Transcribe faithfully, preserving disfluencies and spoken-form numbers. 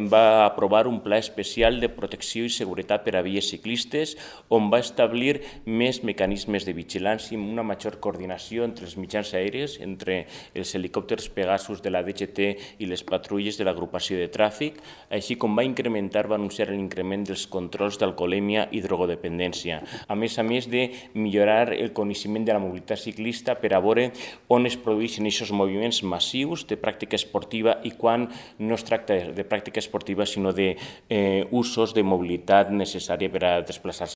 va aprovar un pla especial de protecció i seguretat per a vies ciclistes, on va establir més mecanismes de vigilància i una major coordinació entre els mitjans aèris, entre els helicòpters Pegasus de la D G T i les patrulles de l'agrupació de tràfic, així com va incrementar, va anunciar l'increment dels controls d'alcoholèmia i drogodependència. A més a més de millorar el coneixement de la mobilitat ciclista per a veure on es produeixen aquests moviments massius de pràctica esportiva i quan no es tracta de pràctica esportiva, sinó d'usos de mobilitat necessària per a desplaçar-se